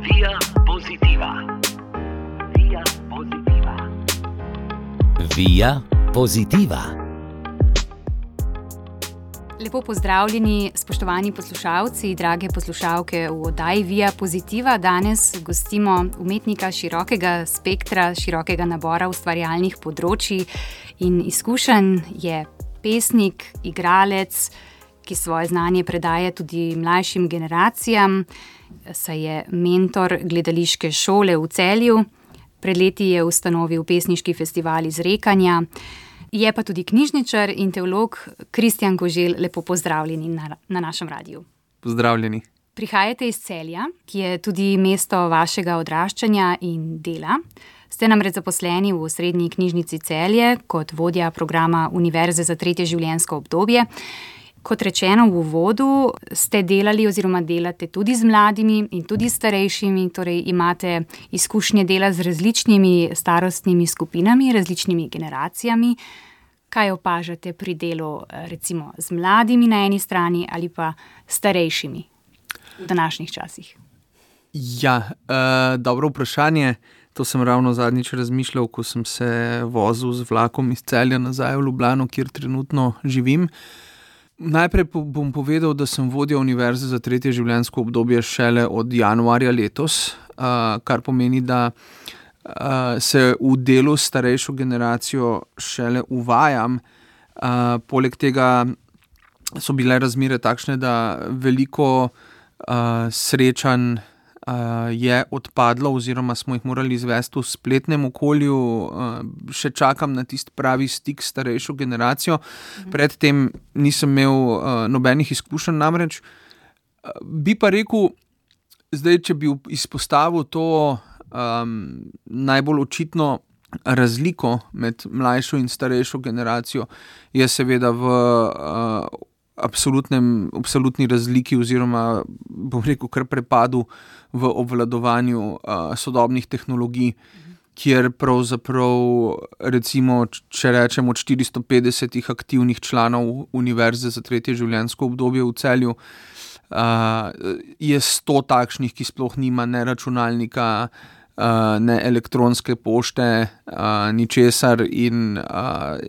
Via Positiva. Via Positiva. Via Positiva. Lepo pozdravljeni, spoštovani poslušalci, drage poslušalke v oddaji Via Positiva. Danes gostimo umetnika širokega spektra, širokega nabora ustvarjalnih področij in izkušenj. Je pesnik, igralec, ki svoje znanje predaje tudi mlajšim generacijam, saj je mentor gledališke šole v Celju. Pred leti je ustanovil pesniški festival Izrekanja. Je pa tudi knjižničar in teolog Kristjan Koželj. Lepo pozdravljeni na našem radiju. Pozdravljeni. Prihajate iz Celja, ki je tudi mesto vašega odraščanja in dela. Ste namreč zaposleni v Srednji knjižnici Celje kot vodja programa Univerze za tretje življenjsko obdobje. Kot rečeno v uvodu, ste delali oziroma delate tudi z mladimi in tudi starejšimi, torej imate izkušnje dela z različnimi starostnimi skupinami, različnimi generacijami. Kaj opažate pri delu recimo z mladimi na eni strani ali pa starejšimi v današnjih časih? Ja, dobro vprašanje. To sem ravno zadnjič razmišljal, ko sem se vozil z vlakom iz Celja nazaj v Ljubljano, kjer trenutno živim. Najprej bom povedal, da sem vodja Univerze za tretje življenjsko obdobje šele od januarja letos, kar pomeni, da se v delu s starejšo generacijo šele uvajam. Poleg tega so bile razmere takšne, da veliko srečanj je odpadlo oziroma smo jih morali izvesti v spletnem okolju. Še čakam na tisti pravi stik s starejšo generacijo. Predtem nisem imel nobenih izkušenj namreč. Bi pa rekel, zdaj, če bi izpostavil to najbolj očitno razliko med mlajšo in starejšo generacijo, je seveda v absolutni razliki oziroma, bom rekel, kar prepadu v obvladovanju sodobnih tehnologij, kjer pravzaprav, recimo, če rečem od 450 aktivnih članov Univerze za tretje življenjsko obdobje v Celju, je 100 takšnih, ki sploh nima ne računalnika, ne elektronske pošte, ničesar in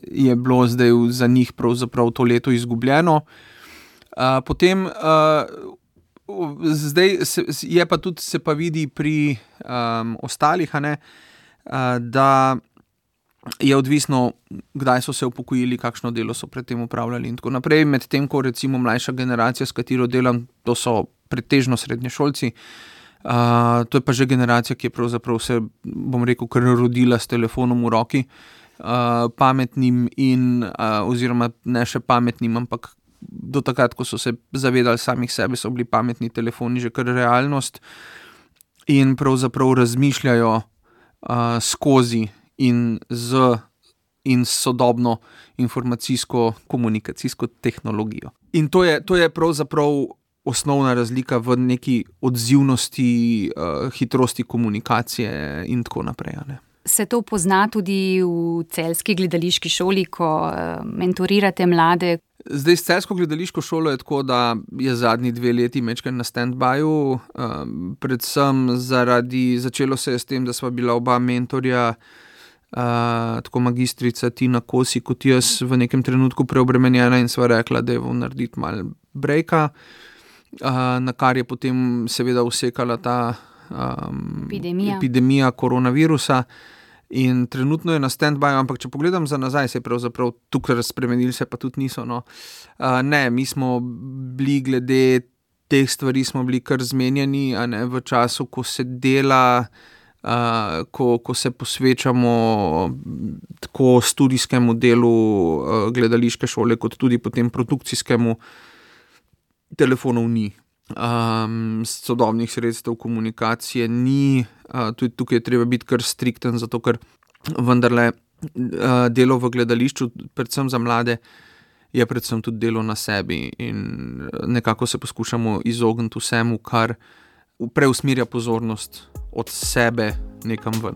je bilo zdaj za njih pravzaprav to leto izgubljeno. Potem zdaj je pa tudi, se pa vidi pri ostalih, da je odvisno, kdaj so se upokojili, kakšno delo so predtem upravljali in tako naprej. Medtem ko recimo mlajša generacija, s katero delam, to so pretežno srednješolci. To je pa že generacija, ki je pravzaprav se, bom rekel, kar rodila s telefonom v roki, pametnim in oziroma ne še pametnim, ampak do takrat, ko so se zavedali samih sebe, so bili pametni telefoni že kar realnost in pravzaprav razmišljajo skozi in s sodobno informacijsko-komunikacijsko tehnologijo. In to je pravzaprav osnovna razlika v neki odzivnosti, hitrosti komunikacije in tako naprej. Se to pozna tudi v celjski gledališki šoli, ko mentorirate mlade? Zdaj s celjsko gledališko šolo je tako, da je zadnji 2 leti majčkeno na stand-byju, predvsem začelo se je s tem, da sva bila oba mentorja, tako magistrica Tina Kosi kot jaz, v nekem trenutku preobremenjena in sva rekla, da je narediti malo brejka, na kar je potem seveda usekala ta epidemija koronavirusa in trenutno je na stand-byju, ampak če pogledam za nazaj, se je pravzaprav tukaj spremenili, se pa tudi niso. Ne, mi smo bili glede teh stvari smo bili kar zmenjeni, v času, ko se dela, ko se posvečamo tako studijskemu delu gledališke šole, kot tudi potem produkcijskemu. Telefonov ni, sodobnih sredstev komunikacije ni, tudi tukaj je treba biti kar strikten, zato ker vendarle delo v gledališču, predvsem za mlade, je predvsem tudi delo na sebi in nekako se poskušamo izogniti vsemu, kar preusmerja pozornost od sebe nekam ven.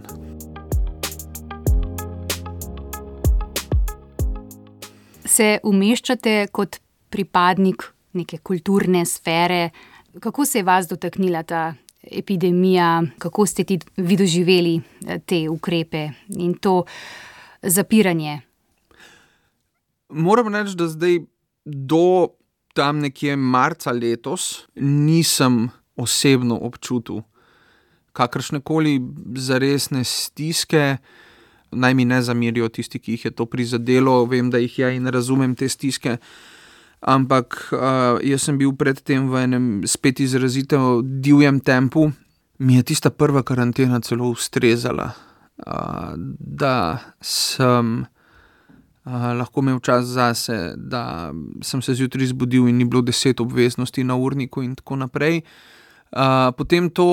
Se umeščate kot pripadnik neke kulturne sfere. Kako se je vas dotaknila ta epidemija, kako ste vi doživeli te ukrepe in to zapiranje? Moram reči, da zdaj do tam nekje marca letos nisem osebno občutil kakršnekoli zaresne stiske. Naj mi ne zamerijo tisti, ki jih je to prizadelo, vem, da jih je in razumem te stiske, ampak jaz sem bil predtem v enem spet izrazito divjem tempu. Mi je tista prva karantena celo ustrezala, da sem lahko imel čas zase, da sem se zjutraj zbudil in ni bilo 10 obveznosti na urniku in tako naprej. Potem to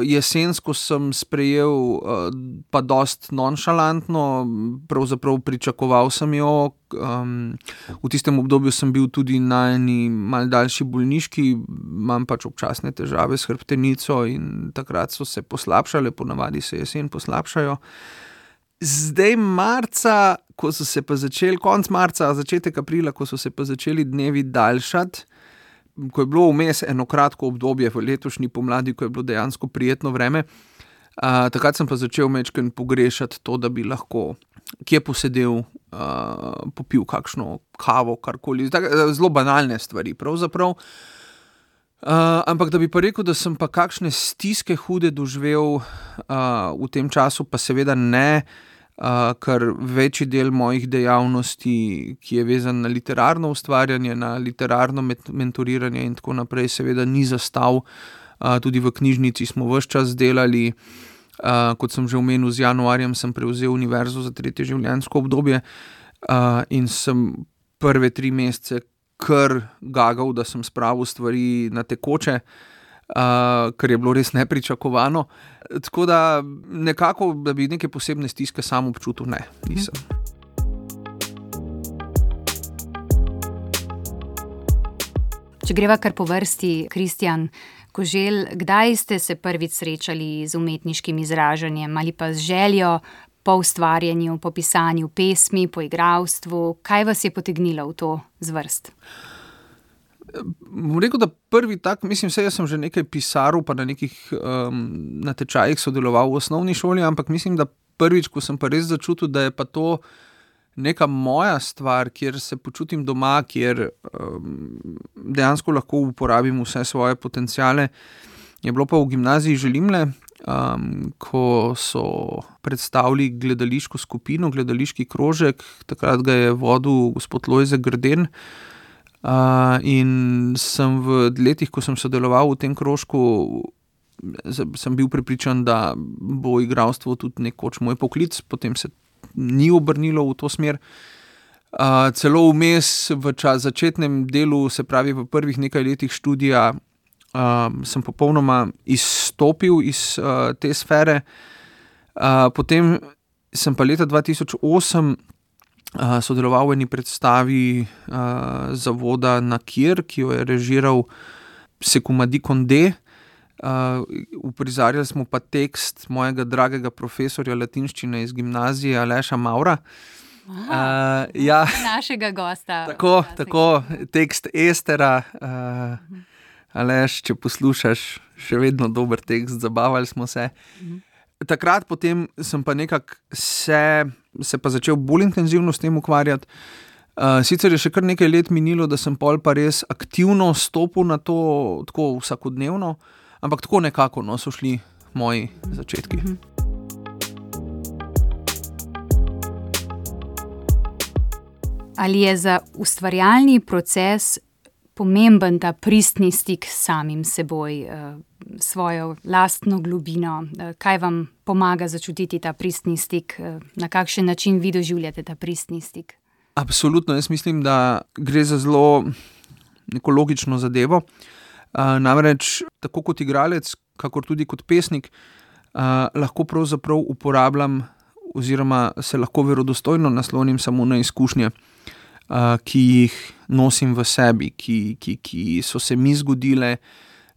jesensko sem sprejel pa dost nonšalantno, pravzaprav pričakoval sem jo. V tistem obdobju sem bil tudi na eni malo daljši bolniški, imam pač občasne težave s hrbtenico in takrat so se poslabšale, ponavadi se jesen poslabšajo. Zdaj marca, ko so se pa začeli, konec marca, začetek aprila, ko so se pa začeli dnevi daljšati, ko je bilo vmes eno kratko obdobje v letošnji pomladi, ko je bilo dejansko prijetno vreme, takrat sem pa začel majčkeno pogrešati to, da bi lahko kje posedel, popil kakšno kavo, karkoli, zelo banalne stvari pravzaprav. Ampak da bi pa rekel, da sem pa kakšne stiske hude doživel v tem času, pa seveda ne, ker večji del mojih dejavnosti, ki je vezan na literarno ustvarjanje, na literarno mentoriranje in tako naprej, seveda ni zastal. Tudi v knjižnici smo ves čas delali, kot sem že omenil, z januarjem sem prevzel univerzo za 3. življenjsko obdobje in sem prve 3 mesece kar gagal, da sem spravil stvari na tekoče, kar je bilo res nepričakovano. Tako da nekako, da bi neke posebne stiske sam občutil, ne, nisem. Če greva kar po vrsti, Kristjan Koželj, kdaj ste se prvič srečali z umetniškim izražanjem ali pa z željo po ustvarjanju, po pisanju pesmi, po igralstvu? Kaj vas je potegnilo v to zvrst? Bom rekel, da prvi tak, mislim, jaz sem že nekaj pisaril, pa na nekih natečajih sodeloval v osnovni šoli, ampak mislim, da prvič, ko sem pa res začutil, da je pa to neka moja stvar, kjer se počutim doma, kjer dejansko lahko uporabim vse svoje potenciale, je bilo pa v gimnaziji Želimlje, ko so predstavili gledališko skupino, gledališki krožek, takrat ga je vodil gospod Lojze Grden. In sem v letih, ko sem sodeloval v tem krožku, sem bil prepričan, da bo igralstvo tudi nekoč moj poklic, potem se ni obrnilo v to smer. Celo vmes v začetnem delu, se pravi v prvih nekaj letih študija, sem popolnoma izstopil iz te sfere. Potem sem pa leta 2008 sodeloval v eni predstavi zavoda Nakir, ki jo je režiral Sekumadi Konde. Uprizarjali smo pa tekst mojega dragega profesorja latinščine iz gimnazije Aleša Maura. Ja, našega gosta. Tako, tekst Estera. Aleš, če poslušaš, še vedno dober tekst, zabavali smo se. Takrat potem sem pa nekako se pa začel bolj intenzivno s tem ukvarjati. Sicer je še kar nekaj let minilo, da sem pol pa res aktivno stopil na to, tako vsakodnevno, ampak tako nekako so šli moji začetki. Ali je za ustvarjalni proces pomemben ta pristni stik s samim seboj, svojo lastno globino? Kaj vam pomaga začutiti ta pristni stik? Na kakšen način vi doživljate ta pristni stik? Absolutno, jaz mislim, da gre za zelo neko logično zadevo. Namreč tako kot igralec, kakor tudi kot pesnik, lahko pravzaprav uporabljam oziroma se lahko verodostojno naslonim samo na izkušnje, ki jih nosim v sebi, ki so se mi zgodile,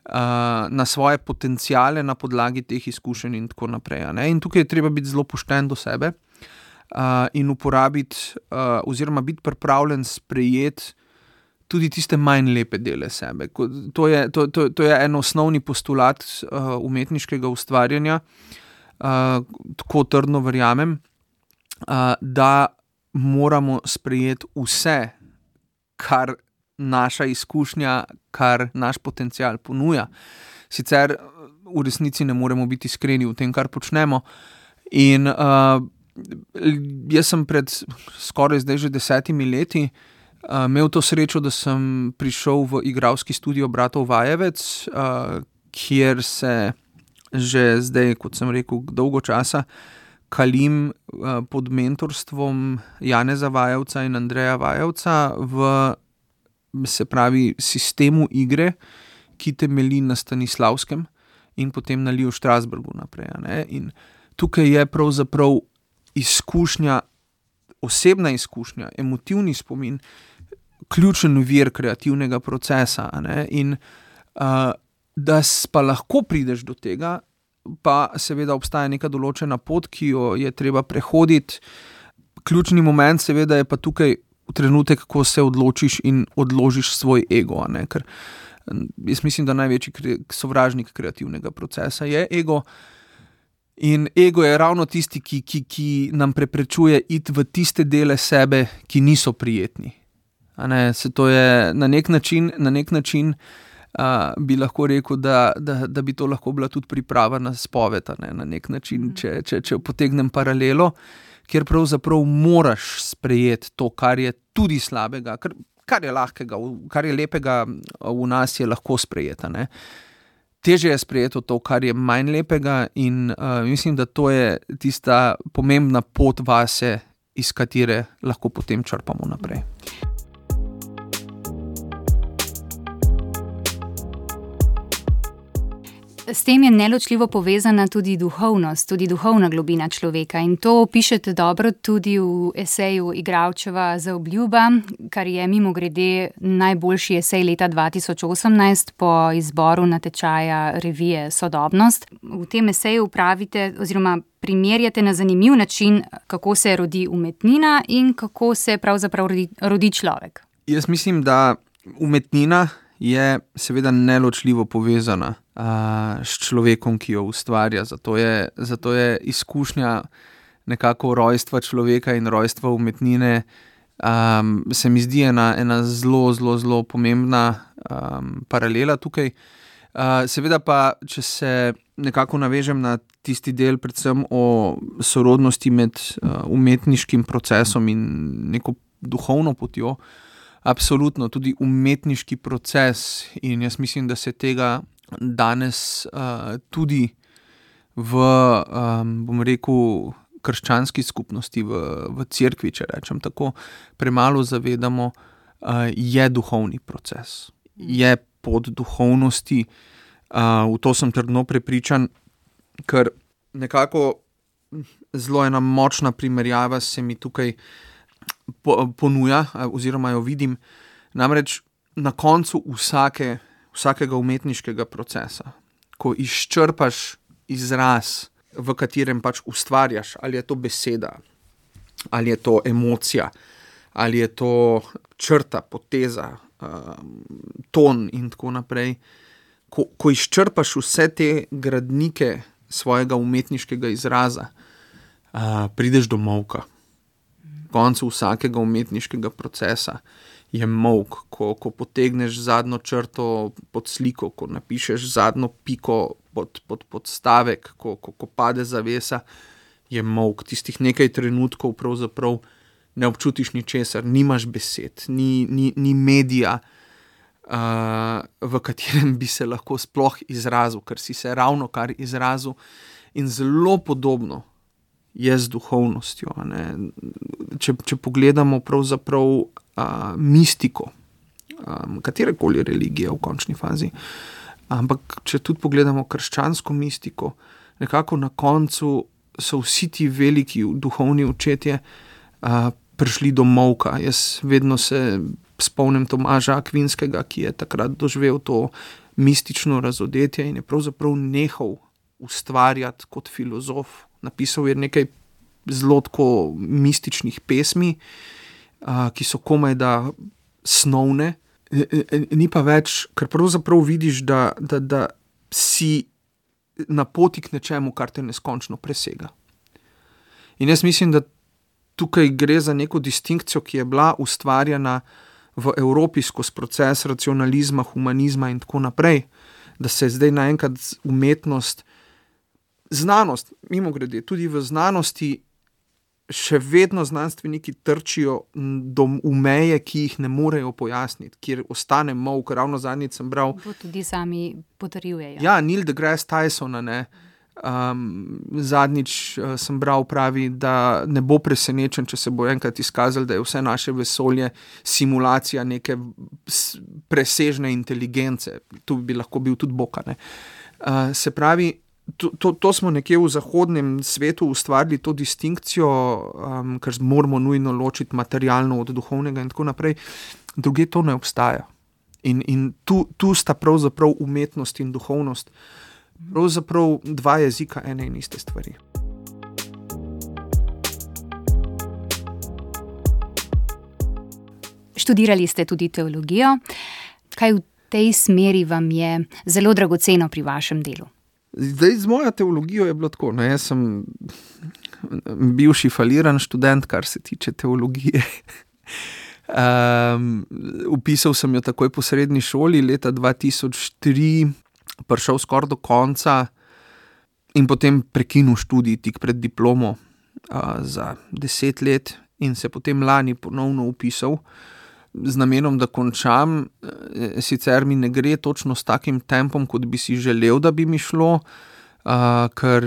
na svoje potenciale na podlagi teh izkušenj in tako naprej. In tukaj je treba biti zelo pošten do sebe in uporabiti oziroma biti pripravljen sprejeti tudi tiste manj lepe dele sebe. To je en osnovni postulat umetniškega ustvarjanja, tako trdno verjamem, da moramo sprejeti vse, kar naša izkušnja, kar naš potencial ponuja. Sicer v resnici ne moremo biti iskreni v tem, kar počnemo. In jaz sem pred skoraj zdaj že 10 leti imel to srečo, da sem prišel v igralski studio bratov Vajevec, kjer se že zdaj, kot sem rekel, dolgo časa kalim pod mentorstvom Janeza Vajevca in Andreja Vajevca v, se pravi, sistemu igre, ki temelji na Stanislavskem in potem na Liju Strasbergu naprej. Ne? In tukaj je pravzaprav izkušnja, osebna izkušnja, emotivni spomin, ključen vir kreativnega procesa. Ne? In da pa lahko prideš do tega, pa seveda obstaja neka določena pot, ki jo je treba prehoditi. Ključni moment seveda je pa tukaj trenutek, ko se odločiš in odložiš svoj ego. Ne? Ker jaz mislim, da največji sovražnik kreativnega procesa je ego. In ego je ravno tisti, ki nam preprečuje iti v tiste dele sebe, ki niso prijetni. To je na nek način bi lahko rekel, da bi to lahko bila tudi priprava na spoved, na nek način, če potegnem paralelo, kjer pravzaprav moraš sprejeti to, kar je tudi slabega, kar je lahkega, kar je lepega v nas, je lahko sprejeti. Težje je sprejeti to, kar je manj lepega, in mislim, da to je tista pomembna pot vase, iz katere lahko potem črpamo naprej. S tem je neločljivo povezana tudi duhovnost, tudi duhovna globina človeka, in to pišete dobro tudi v eseju Igralčeva Zaobljuba, kar je mimogrede najboljši esej leta 2018 po izboru natečaja revije Sodobnost. V tem eseju pravite oziroma primerjate na zanimiv način, kako se rodi umetnina in kako se pravzaprav rodi človek. Jaz mislim, da umetnina je seveda neločljivo povezana s človekom, ki jo ustvarja. Zato je izkušnja nekako rojstva človeka in rojstva umetnine, se mi zdi ena zelo pomembna paralela tukaj. Seveda pa, če se nekako navežem na tisti del predvsem o sorodnosti med umetniškim procesom in neko duhovno potjo, absolutno tudi umetniški proces, in jaz mislim, da se tega danes tudi v, bom rekel, krščanski skupnosti, v cerkvi, če rečem tako, premalo zavedamo, je duhovni proces. Je pot duhovnosti, v to sem trdno prepričan, ker nekako zelo ena močna primerjava se mi tukaj ponuja, oziroma jo vidim. Namreč na koncu vsakega umetniškega procesa, ko izčrpaš izraz, v katerem pač ustvarjaš, ali je to beseda, ali je to emocija, ali je to črta, poteza, ton in tako naprej, ko izčrpaš vse te gradnike svojega umetniškega izraza, prideš do molka. Koncu vsakega umetniškega procesa je molk, ko potegneš zadnjo črto pod sliko, ko napišeš zadnjo piko pod stavek, ko pade zavesa, je molk. Tistih nekaj trenutkov pravzaprav ne občutiš ničesar, nimaš besed, ni medija, v katerem bi se lahko sploh izrazil, ker si se ravnokar izrazil, in zelo podobno je z duhovnostjo. Če pogledamo pravzaprav mistiko, katerekoli religije v končni fazi, ampak če tudi pogledamo krščansko mistiko, nekako na koncu so vsi ti veliki duhovni očetje prišli do molka. Jaz vedno se spomnim Tomaža Akvinskega, ki je takrat doživel to mistično razodetje in je pravzaprav nehal ustvarjati kot filozof. Napisal je nekaj zelo tako mističnih pesmi, ki so komaj da snovne, Ni pa več, ker pravzaprav vidiš, da si na poti k nečemu, kar te neskončno presega. In jaz mislim, da tukaj gre za neko distinkcijo, ki je bila ustvarjena v Evropi skozi proces racionalizma, humanizma in tako naprej, da se je zdaj naenkrat umetnost, znanost, mimogrede, tudi v znanosti še vedno znanstveniki trčijo v meje, ki jih ne morejo pojasniti, kjer ostane molk. Ravno zadnjič sem bral. To tudi sami potrjujejo. Ja, Neil deGrasse Tysona, zadnjič sem bral, pravi, da ne bo presenečen, če se bo enkrat izkazalo, da je vse naše vesolje simulacija neke presežne inteligence. Tu bi lahko bil tudi Bog, ne. Se pravi, to smo nekje v zahodnem svetu ustvarili to distinkcijo, ker moramo nujno ločiti materialno od duhovnega in tako naprej. Druge to ne obstaja. In tu sta pravzaprav umetnost in duhovnost pravzaprav dva jezika ene in iste stvari. Študirali ste tudi teologijo. Kaj v tej smeri vam je zelo dragoceno pri vašem delu? Zdaj, z mojo teologijo je bilo tako. Jaz sem bivši faliran študent, kar se tiče teologije. Vpisal sem jo takoj po srednji šoli, leta 2003, prišel skoraj do konca in potem prekinil študij tik pred diplomo za 10 let in se potem lani ponovno vpisal z namenom, da končam. Sicer mi ne gre točno s takim tempom, kot bi si želel, da bi mi šlo, ker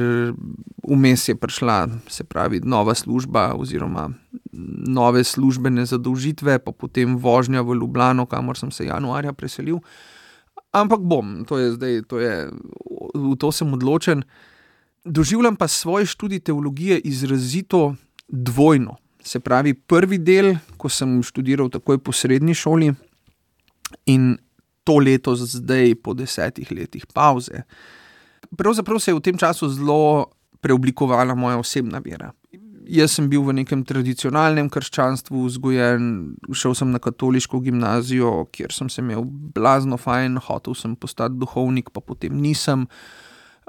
vmes je prišla, se pravi, nova služba oziroma nove službene zadolžitve, pa potem vožnja v Ljubljano, kamor sem se januarja preselil. Ampak bom, v to sem odločen. Doživljam pa svoj študij teologije izrazito dvojno. Se pravi, prvi del, ko sem študiral takoj po srednji šoli in to leto zdaj po 10 letih pavze. Pravzaprav se je v tem času zelo preoblikovala moja osebna vera. Jaz sem bil v nekem tradicionalnem krščanstvu vzgojen, šel sem na katoliško gimnazijo, kjer sem se imel blazno fajn, hotel sem postati duhovnik, pa potem nisem.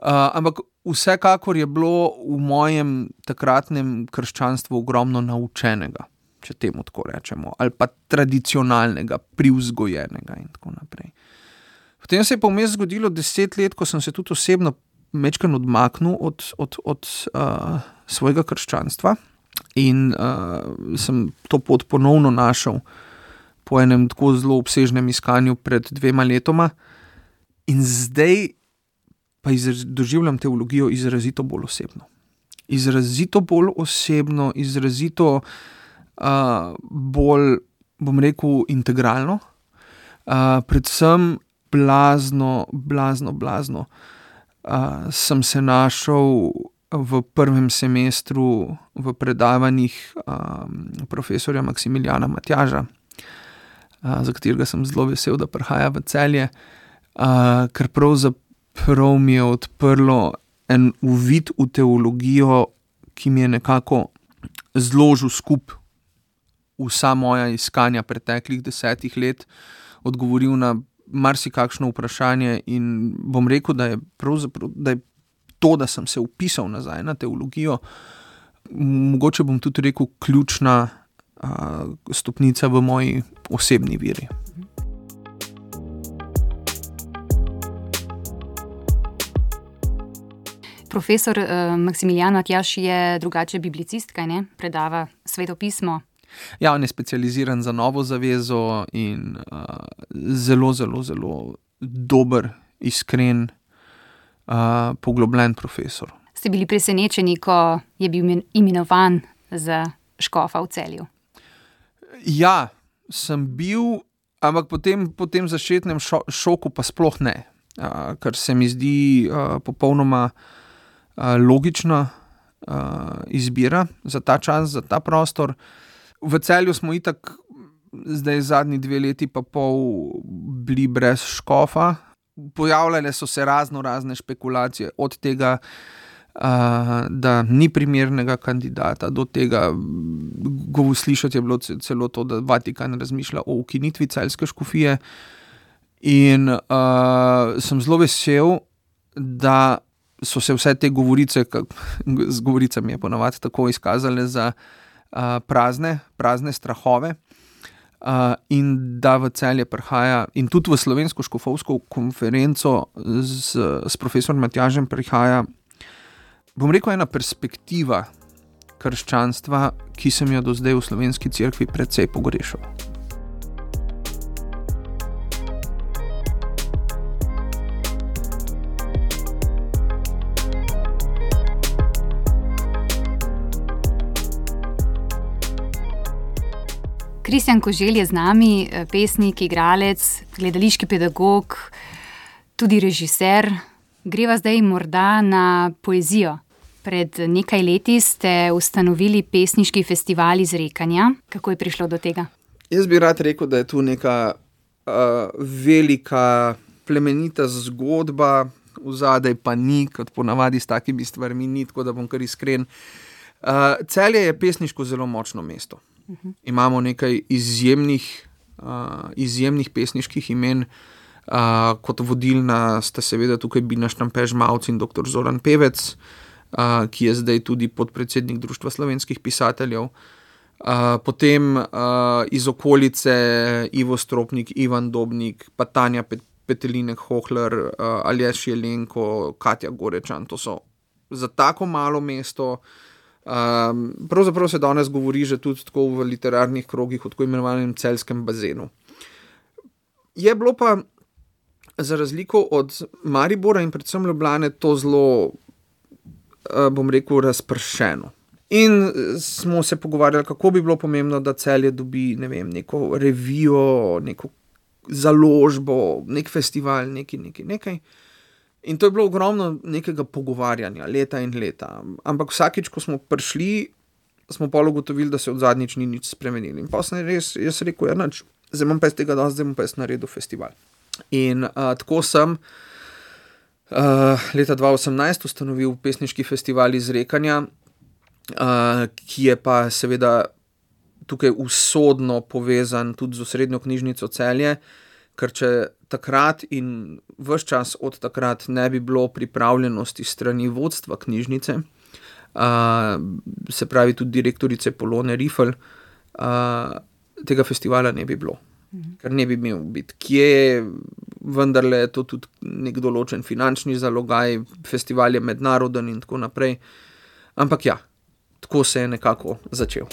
Ampak vsekakor je bilo v mojem takratnem krščanstvu ogromno naučenega, če temu tako rečemo, ali pa tradicionalnega, privzgojenega in tako naprej. Potem se je pa vmes zgodilo 10 let, ko sem se tudi osebno majčkeno odmaknil od svojega krščanstva in sem to pot ponovno našel po enem tako zelo obsežnem iskanju pred 2 letoma in zdaj pa doživljam teologijo izrazito bolj osebno. Izrazito bolj osebno, izrazito bolj, bom rekel, integralno. Predvsem blazno sem se našel v prvem semestru v predavanjih profesorja Maksimiljana Matjaža, za katerega sem zelo vesel, da prihaja v Celje, ker pravzaprav mi je odprlo en uvid v teologijo, ki mi je nekako zložil skupaj vsa moja iskanja preteklih 10 let, odgovoril na marsikakšno vprašanje in bom rekel, da je pravzaprav, da je to, da sem se vpisal nazaj na teologijo, mogoče bom tudi rekel, ključna stopnica v moji osebni veri. Profesor Maksimilijan Matjaž je drugače biblicist, kaj ne? Predava svetopismo. Ja, on je specializiran za Novo zavezo in zelo, zelo, zelo dober, iskren, poglobljen profesor. Ste bili presenečeni, ko je bil imenovan za škofa v Celju? Ja, sem bil, ampak po tem začetnem šoku pa sploh ne, ker se mi zdi popolnoma logična izbira za ta čas, za ta prostor. V Celju smo itak zdaj zadnji 2 leti pa pol bili brez škofa. Pojavljale so se razne špekulacije, od tega, da ni primernega kandidata do tega. Slišati je bilo celo to, da Vatikan razmišlja o ukinitvi celjske škofije. In sem zelo vesel, da so se vse te govorice, z govoricami je ponavadi tako izkazale za prazne strahove, in da v Celje prihaja, in tudi v Slovensko škofovsko konferenco s profesorom Matjažem prihaja, bom rekel, ena perspektiva krščanstva, ki sem jo do zdaj v slovenski cerkvi precej pogrešal. Kristjan Koželj je z nami, pesnik, igralec, gledališki pedagog, tudi režiser. Greva zdaj morda na poezijo. Pred nekaj leti ste ustanovili pesniški festival Izrekanja. Kako je prišlo do tega? Jaz bi rad rekel, da je tu neka velika plemenita zgodba, vzadej pa ni, kot ponavadi s takimi stvarmi ni, tako da bom kar iskren. Celje je pesniško zelo močno mesto. Imamo nekaj izjemnih pesniških imen, kot vodilna sta seveda tukaj Bina Štampe-Žmavc in dr. Zoran Pevec, ki je zdaj tudi podpredsednik Društva slovenskih pisateljev. Potem iz okolice Ivo Stropnik, Ivan Dobnik, pa Tanja Petelinek-Hohler, Aleš Jelenko, Katja Gorečan. To so za tako malo mesto. Pravzaprav se danes govori že tudi tako v literarnih krogih o tako imenovanem celjskem bazenu. Je bilo pa za razliko od Maribora in predvsem Ljubljane to zelo, bom rekel, razpršeno. In smo se pogovarjali, kako bi bilo pomembno, da Celje dobi, ne vem, neko revijo, neko založbo, nek festival, nekaj. In to je bilo ogromno nekega pogovarjanja, leta in leta. Ampak vsakič, ko smo prišli, smo pa ugotovili, da se od zadnjič ni nič spremenili. In pa sem jaz rekel, nič, zdaj bom pa iz tega dosti, zdaj bom pa jaz naredil festival. In tako sem leta 2018 ustanovil pesniški festival Izrekanja, ki je pa seveda tukaj usodno povezan tudi z osrednjo knjižnico Celje, ker če takrat in ves čas od takrat ne bi bilo pripravljenosti strani vodstva knjižnice, se pravi tudi direktorice Polone Rifl, tega festivala ne bi bilo. Ker ne bi imel biti kje, vendarle je to tudi nek določen finančni zalogaj, festival je mednaroden in tako naprej. Ampak ja, tako se je nekako začel.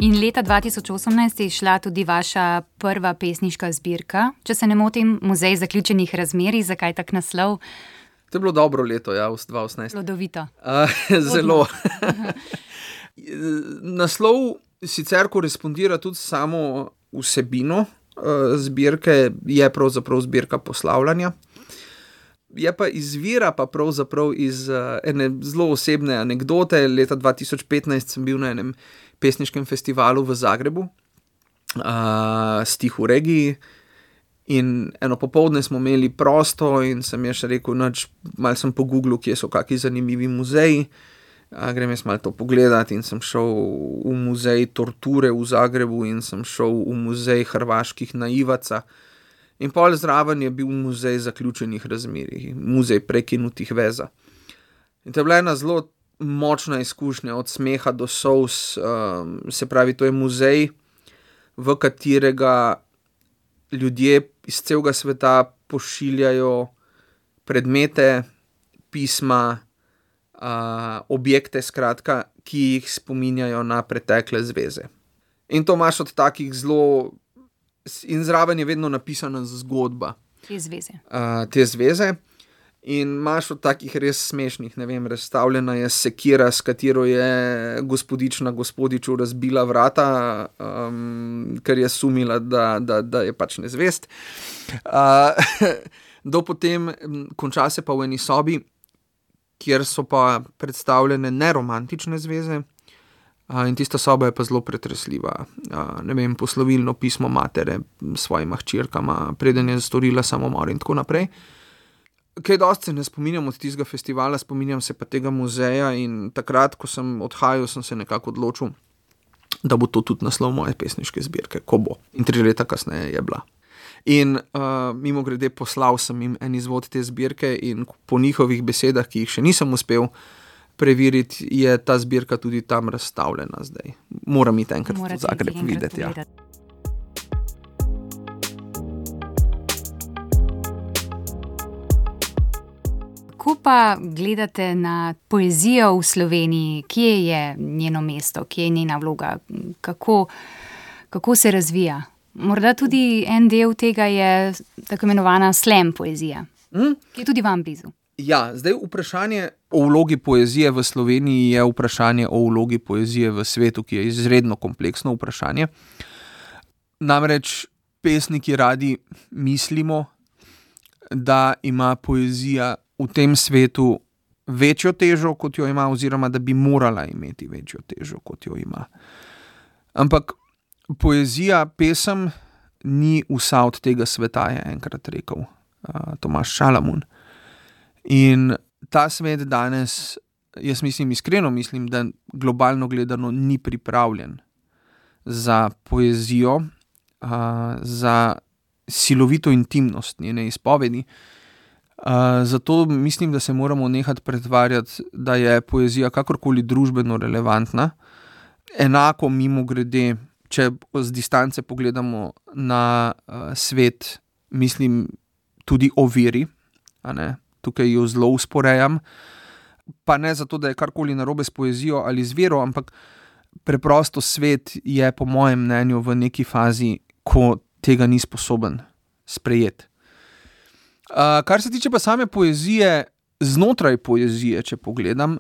In leta 2018 je šla tudi vaša prva pesniška zbirka, če se ne motim, Muzej zaključenih razmerij. Zakaj tak naslov? To je bilo dobro leto, ja, 2018. Plodovito. Zelo. Naslov sicer korespondira tudi samo vsebino zbirke, je pravzaprav zbirka poslavljanja. Je pa izvira pa pravzaprav iz ene zelo osebne anekdote. Leta 2015 sem bil na enem pesniškem festivalu v Zagrebu, Stih v regiji, in eno popoldne smo imeli prosto in sem jaz rekel, malo sem pogooglil, kje so kakšni zanimivi muzeji, grem jaz malo to pogledati in sem šel v muzej torture v Zagrebu in sem šel v muzej hrvaških naivaca. In pol zraven je bil muzej zaključenih razmerij, muzej prekinutih veza. In to je bila ena zelo močna izkušnja, od smeha do solz, se pravi, to je muzej, v katerega ljudje iz celega sveta pošiljajo predmete, pisma, objekte, skratka, ki jih spominjajo na pretekle zveze. In to imaš od takih zelo, in zraven je vedno napisana zgodba. Te zveze. Te zveze. In imaš od takih res smešnih, ne vem, razstavljena je sekira, s katero je gospodična gospodiču razbila vrata, ker je sumila, da je pač nezvest. Do potem konča se pa v eni sobi, kjer so pa predstavljene neromantične zveze, In tista soba je pa zelo pretresljiva. Ne vem, poslovilno pismo matere svojima hčerkama, preden je storila samomor in tako naprej. Kaj dosti se ne spominjam od tistega festivala, spominjam se pa tega muzeja in takrat, ko sem odhajal, sem se nekako odločil, da bo to tudi naslov moje pesniške zbirke, ko bo. In 3 leta kasneje je bila. In mimogrede poslal sem jim en izvod te zbirke in po njihovih besedah, ki jih še nisem uspel preveriti, je ta zbirka tudi tam razstavljena zdaj. Moram iti enkrat v Zagreb videti. Ja. Kako pa gledate na poezijo v Sloveniji? Kje je njeno mesto, kje je njena vloga? Kako se razvija? Morda tudi en del tega je tako imenovana slam poezija, ki je tudi vam blizu. Ja, zdaj vprašanje o vlogi poezije v Sloveniji je vprašanje o vlogi poezije v svetu, ki je izredno kompleksno vprašanje. Namreč pesniki radi mislimo, da ima poezija v tem svetu večjo težo, kot jo ima, oziroma da bi morala imeti večjo težo, kot jo ima. Ampak poezija, pesem ni vsa od tega sveta, je enkrat rekel Tomaž Šalamun. In ta svet danes, jaz iskreno mislim, da globalno gledano ni pripravljen za poezijo, za silovito intimnost njene izpovedi. Zato mislim, da se moramo nehati pretvarjati, da je poezija kakorkoli družbeno relevantna. Enako mimogrede, če z distance pogledamo na svet, mislim tudi o veri, tukaj jo zelo usporejam, pa ne zato, da je karkoli narobe s poezijo ali z vero, ampak preprosto svet je po mojem mnenju v neki fazi, ko tega ni sposoben sprejeti. Kar se tiče pa same poezije, znotraj poezije, če pogledam,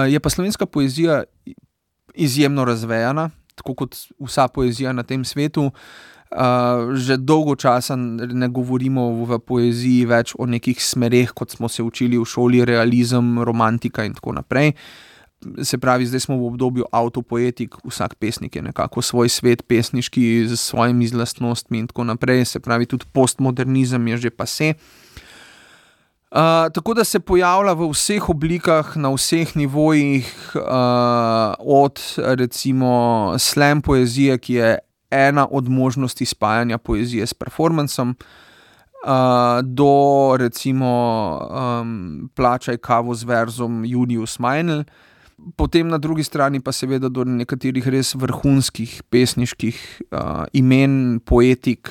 je pa slovenska poezija izjemno razvejana, tako kot vsa poezija na tem svetu. Že dolgo časa ne govorimo v poeziji več o nekih smereh, kot smo se učili v šoli, realizem, romantika in tako naprej. Se pravi, zdaj smo v obdobju avtopoetik, vsak pesnik je nekako svoj svet pesniški z svojimi lastnostmi in tako naprej. Se pravi, tudi postmodernizem je že pasé. Tako da se pojavlja v vseh oblikah, na vseh nivojih, od recimo slam poezije, ki je ena od možnosti spajanja poezije s performancem, do recimo Plačaj kavo z verzom Julius Meinl, potem na drugi strani pa seveda do nekaterih res vrhunskih pesniških imen, poetik,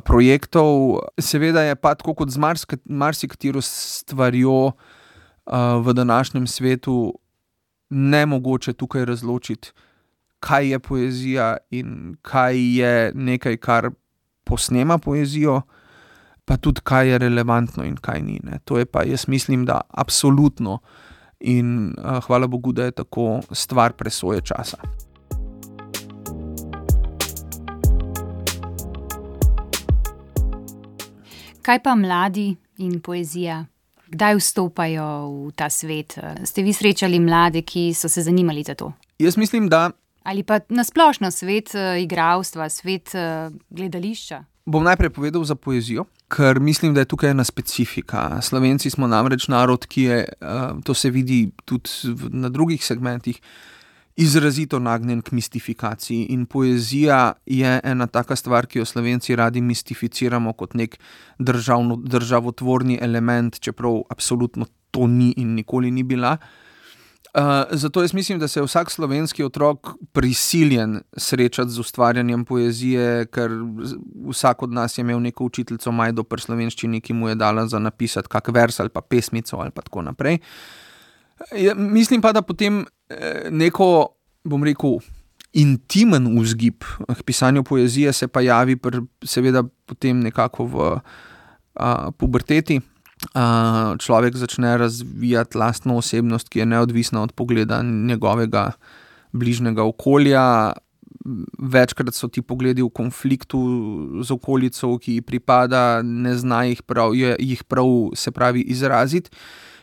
projektov. Seveda je pa tako kot z marsikatero stvarjo v današnjem svetu nemogoče tukaj razločiti, kaj je poezija in kaj je nekaj, kar posnema poezijo, pa tudi kaj je relevantno in kaj ni. To je pa, jaz mislim, da absolutno in hvala Bogu, da je tako, stvar presoje časa. Kaj pa mladi in poezija? Kdaj vstopajo v ta svet? Ste vi srečali mlade, ki so se zanimali za to? Jaz mislim, da... Ali pa nasplošno svet igralstva, svet gledališča? Bom najprej povedal za poezijo, ker mislim, da je tukaj ena specifika. Slovenci smo namreč narod, ki je, to se vidi tudi na drugih segmentih, izrazito nagnjen k mistifikaciji. In poezija je ena taka stvar, ki jo Slovenci radi mistificiramo kot nek državotvorni element, čeprav absolutno to ni in nikoli ni bila. Zato jaz mislim, da se je vsak slovenski otrok prisiljen srečati z ustvarjanjem poezije, ker vsak od nas je imel neko učiteljico Majdo pri slovenščini, ki mu je dala za napisati kak vers ali pa pesmico ali pa tako naprej. Mislim pa, da potem neko, bom rekel, intimen vzgib k pisanju poezije se pa javi seveda potem nekako v puberteti. Človek začne razvijati lastno osebnost, ki je neodvisna od pogleda njegovega bližnjega okolja. Večkrat so ti pogledi v konfliktu z okolico, ki ji pripada, ne zna jih prav, se pravi, izraziti.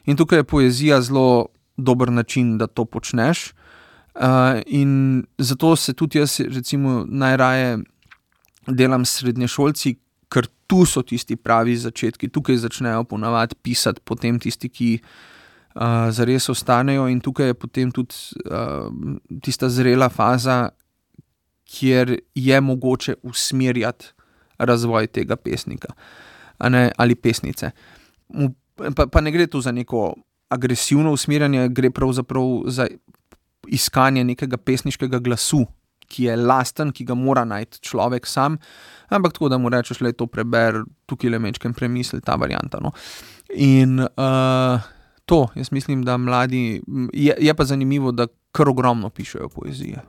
In tukaj je poezija zelo dober način, da to počneš. In zato se tudi jaz recimo najraje delam s srednješolci, ker tu so tisti pravi začetki, tukaj začnejo ponavadi pisati, potem tisti, ki zares ostanejo, in tukaj je potem tudi tista zrela faza, kjer je mogoče usmerjati razvoj tega pesnika, ali pesnice. Pa ne gre tu za neko agresivno usmerjanje, gre pravzaprav za iskanje nekega pesniškega glasu, ki je lasten, ki ga mora najti človek sam, ampak tako, da mu rečeš, le to preber, tukaj le mečkem premisli, ta varianta. No. In to, jaz mislim, da mladi, je pa zanimivo, da kar ogromno pišejo poezije.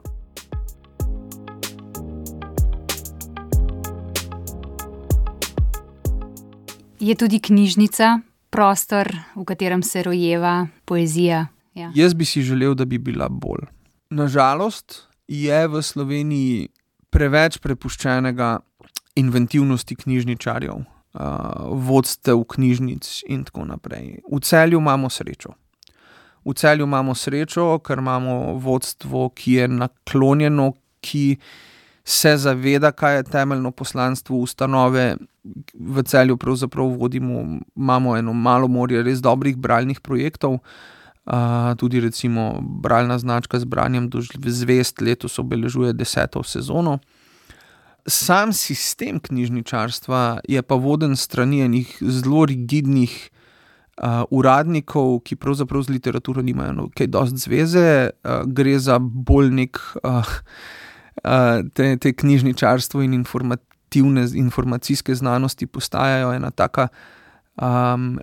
Je tudi knjižnica prostor, v katerem se rojeva poezija? Ja. Jaz bi si želel, da bi bila bolj. Nažalost je v Sloveniji preveč prepuščenega inventivnosti knjižničarjev, vodstev knjižnic in tako naprej. V Celju imamo srečo. Ker imamo vodstvo, ki je naklonjeno, ki se zaveda, kaj je temeljno poslanstvo ustanove. V Celju pravzaprav imamo eno malo morje res dobrih bralnih projektov. Tudi recimo bralna značka z branjem do zvezd letos obeležuje 10. sezono. Sam sistem knjižničarstva je pa voden s strani enih zelo rigidnih uradnikov, ki pravzaprav z literaturo nimajo kaj dosti zveze. Gre za bolj nek te knjižničarstvo in informacijske znanosti postajajo ena taka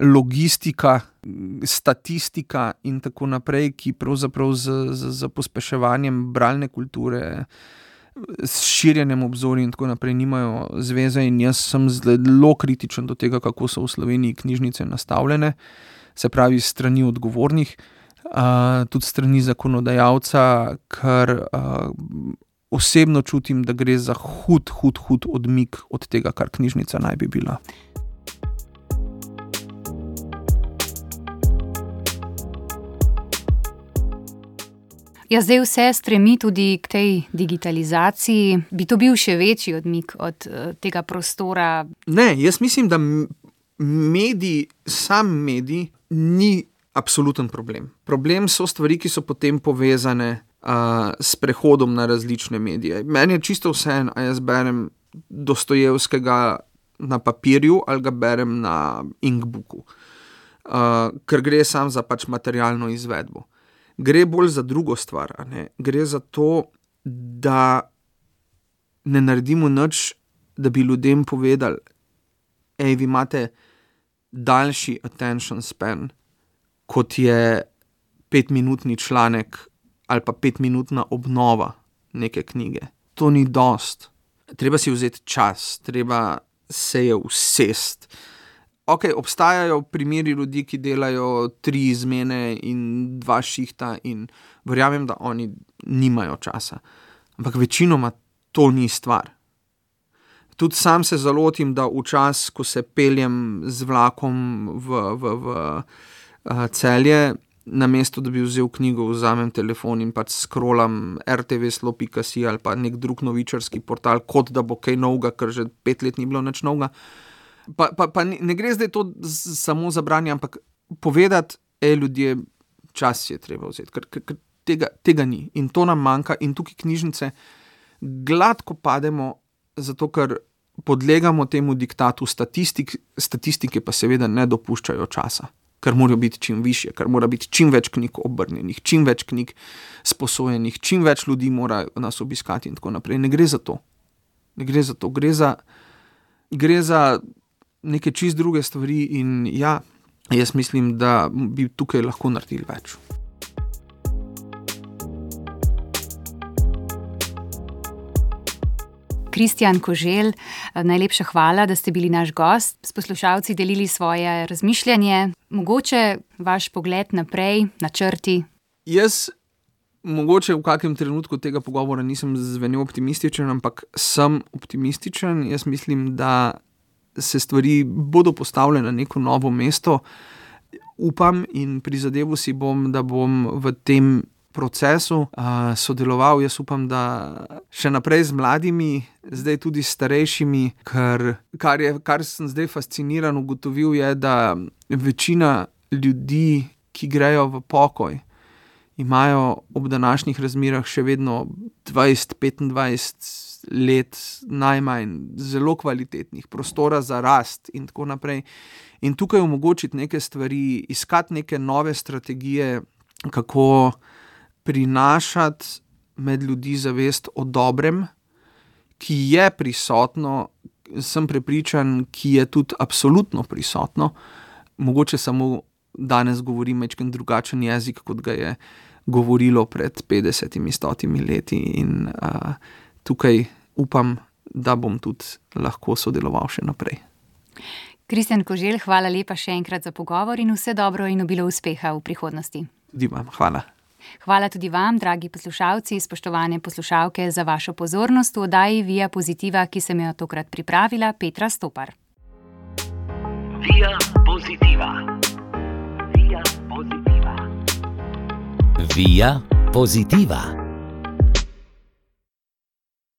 logistika, statistika in tako naprej, ki pravzaprav z pospeševanjem bralne kulture, s širjenjem obzorja in tako naprej nimajo zveze, in jaz sem zelo kritičen do tega, kako so v Sloveniji knjižnice nastavljene, se pravi strani odgovornih, tudi strani zakonodajalca, ker osebno čutim, da gre za hud odmik od tega, kar knjižnica naj bi bila. Ja, zdaj vse stremi tudi k tej digitalizaciji. Bi to bil še večji odmik od tega prostora? Ne, jaz mislim, da sam medij ni absoluten problem. Problem so stvari, ki so potem povezane s prehodom na različne medije. Meni je čisto vseeno, a jaz berem Dostojevskega na papirju ali ga berem na inkbooku, ker gre sam za pač materialno izvedbo. Gre bolj za drugo stvar, gre za to, da ne naredimo nič, da bi ljudem povedali, vi imate daljši attention span, kot je 5-minutni članek ali pa 5-minutna obnova neke knjige. To ni dost. Treba si vzeti čas, treba se je usesti. Ok, obstajajo primeri ljudi, ki delajo 3 izmene in 2 šihta in verjamem, da oni nimajo časa. Ampak večinoma to ni stvar. Tudi sam se zalotim, da včas, ko se peljem z vlakom v Celje, namesto da bi vzel knjigo, vzamem telefon in pač scrollam rtvslo.si ali pa nek drug novičarski portal, kot da bo kaj novega, ker že 5 let ni bilo nič novega. Pa ne gre zdaj to samo za branje, ampak povedati, ljudje, čas je treba vzeti, ker tega ni. In to nam manjka in tukaj knjižnice gladko pademo, zato ker podlegamo temu diktatu statistike pa seveda ne dopuščajo časa, ker morajo biti čim višje, ker mora biti čim več knjig obrnjenih, čim več knjig sposojenih, čim več ljudi mora nas obiskati in tako naprej. Ne gre za to. Gre za neke čist druge stvari in ja, jaz mislim, da bi tukaj lahko naredili več. Kristjan Koželj, najlepša hvala, da ste bili naš gost. S poslušalci delili svoje razmišljanje, mogoče vaš pogled naprej, načrti. Jaz mogoče v kakem trenutku tega pogovora nisem zvenel optimističen, ampak sem optimističen. Jaz mislim, da se stvari bodo postavljene na neko novo mesto. Upam in prizadeval si bom, da bom v tem procesu sodeloval, jaz upam, da še naprej z mladimi, zdaj tudi s starejšimi, kar sem zdaj fasciniran ugotovil, je, da večina ljudi, ki grejo v pokoj, imajo ob današnjih razmerah še vedno 20-25 let najmanj, zelo kvalitetnih, prostora za rast in tako naprej. In tukaj omogočiti neke stvari, iskati neke nove strategije, kako prinašati med ljudi zavest o dobrem, ki je prisotno, sem prepričan, ki je tudi absolutno prisotno. Mogoče samo danes govorim majčkeno drugačen jezik, kot ga je govorilo pred 50-100 leti in tukaj upam, da bom tudi lahko sodeloval še naprej. Kristjan Koželj, hvala lepa še enkrat za pogovor in vse dobro in obilo uspeha v prihodnosti. Tudi vam, hvala. Hvala tudi vam, dragi poslušalci, spoštovane poslušalke, za vašo pozornost v oddaji Via Positiva, ki sem jo tokrat pripravila Petra Stopar. Via Positiva. Via Positiva. Via Positiva.